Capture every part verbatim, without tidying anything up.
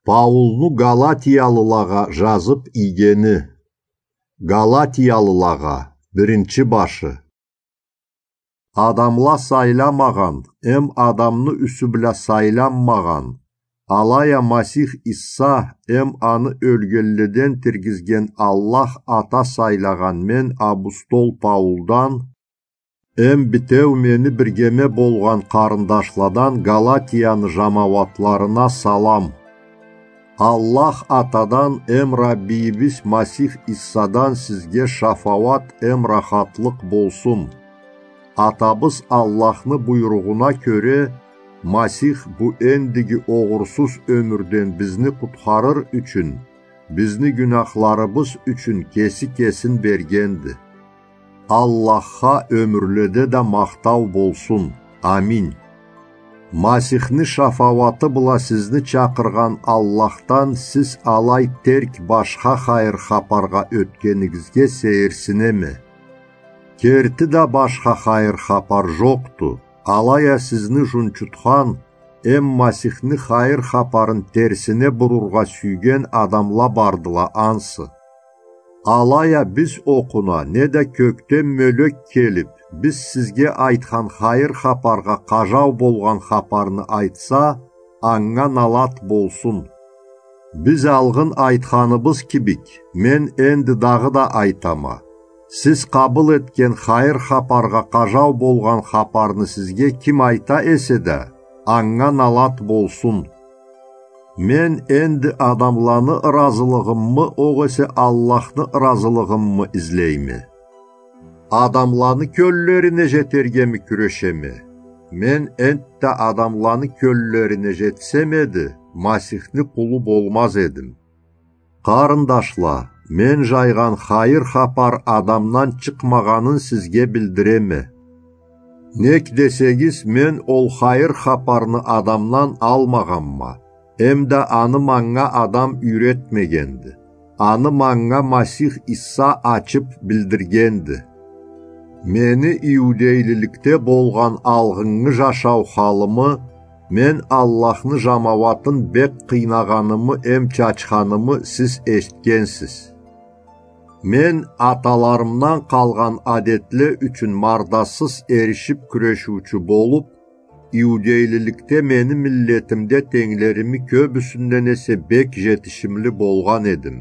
Паулну Галатиялылагъа жазып ийгени. Галатиялылагъа, биринчи башы. Адамла сайламагъан, эм адамны юсю бла сайланмагъан, алай а Масих Иса эм аны ёлгенледен тиргизген Аллах Ата сайлагъан мен, апостол Паулдан, эм битеу мени биргеме болгъан къарындашладан Галатияны жамауатларына салам. Аллах Атадан эм Раббийибиз Масих Иссадан сизге шафауат эм рахатлыкъ болсун. Атабыз Аллахны буйругъуна кёре, Масих бу эндиги огъурсуз ёмюрден бизни къутхарыр ючюн, бизни гюнахларыбыз ючюн кеси кесин бергенди. Аллахха ёмюрледе да махтау болсун. Аминь. Масихни шафауаты бла сизни чакъыргъан Аллахдан сиз алай терк башха хайыр хапаргъа ётгенигизге сейирсинеме. Керти да башха хайыр хапар жокъду, алай а сизни жунчутхан эм Масихни хайыр хапарын терсине бурургъа сюйген адамла бардыла ансы. Алай а биз окъуна неда кёкден мёлек келип, биз сизге айтхан хайыр хапаргъа къажау болгъан хапарны айтса, анга налат болсун. Биз алгъын айтханыбыз кибик, мен энди дагъыда айтама. Сиз къабыл этген хайыр хапаргъа къажау болгъан хапарны сизге ким айта эсе да, анга налат болсун. Мен энди адамланы ыразылыгъыммы, огъесе Аллахны ыразылыгъыммы излейме? Адамланы кёллерине жетергеми кюрешеме? Мен энтда адамланы кёллерине жетсем эди, Масихни къулу болмаз эдим. Къарындашла, мен жайгъан хайыр хапар адамдан чыкъмагъанын сизге билдиреме. Нек десегиз, мен ол хайыр хапарны адамдан алмагъанма, эмда аны манга адам юйретмегенди. Аны манга Масих Иса ачып билдиргенди. Мени иудейлиликде болгъан алгъыннгы жашау халымы, мен Аллахны жамауатын бек къыйнагъанымы эм чачханымы сиз эшитгенсиз. Мен аталарымдан къалгъан адетле ючюн мардасыз эришип кюрешиучю болуп, иудейлиликде мени миллетимде тенглерими кёбюсюнден эсе бек жетишимли болгъан эдим.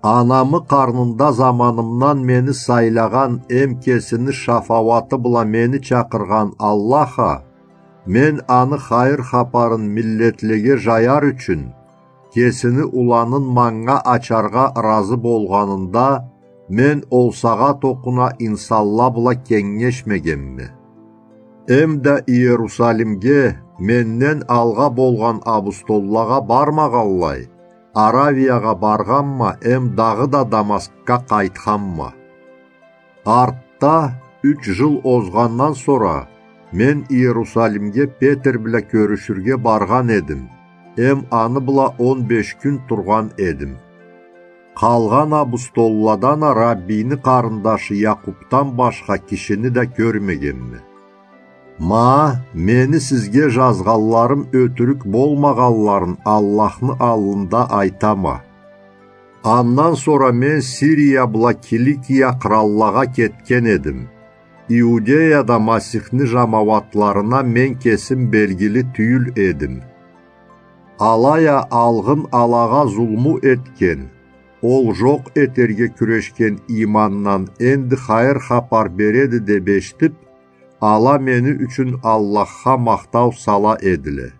Анамы къарнында заманымдан мени сайлагъан эм кесини шафауаты бла мени чакъыргъан Аллах а, мен аны хайыр хапарын миллетлеге жаяр ючюн, кесини уланын манга ачаргъа ыразы болгъанында, мен ол сагъат окъуна инсанла бла кенгешмегенме. Эмда Иерусалимге менден алгъа болгъан апостоллагъа бармагъанлай, Аравиягъа баргъанма эм дагъыда Дамаскга къайтханма. Артда, юч жыл озгъандан сора, мен Иерусалимге Петер бла кёрюшюрге баргъан эдим, эм аны бла он беш кюн тургъан эдим. Къалгъан апостолладан а Раббийни къарындашы Якъубдан башха кишини да кёрмегенме. Ма, мени сизге жазгъанларым ётюрюк болмагъанларын Аллахны аллында айтама. Андан сора мен Сирия бла Киликия къыраллагъа кетген эдим. Иудеяда Масихни жамауатларына мен кесим белгили тюйюл эдим. Алай а алгъын алагъа зулму этген, ол жокъ этерге кюрешген иймандан энди хайыр хапар береди деп эшитип, ала мени ючюн Аллахха махтау сала эдиле.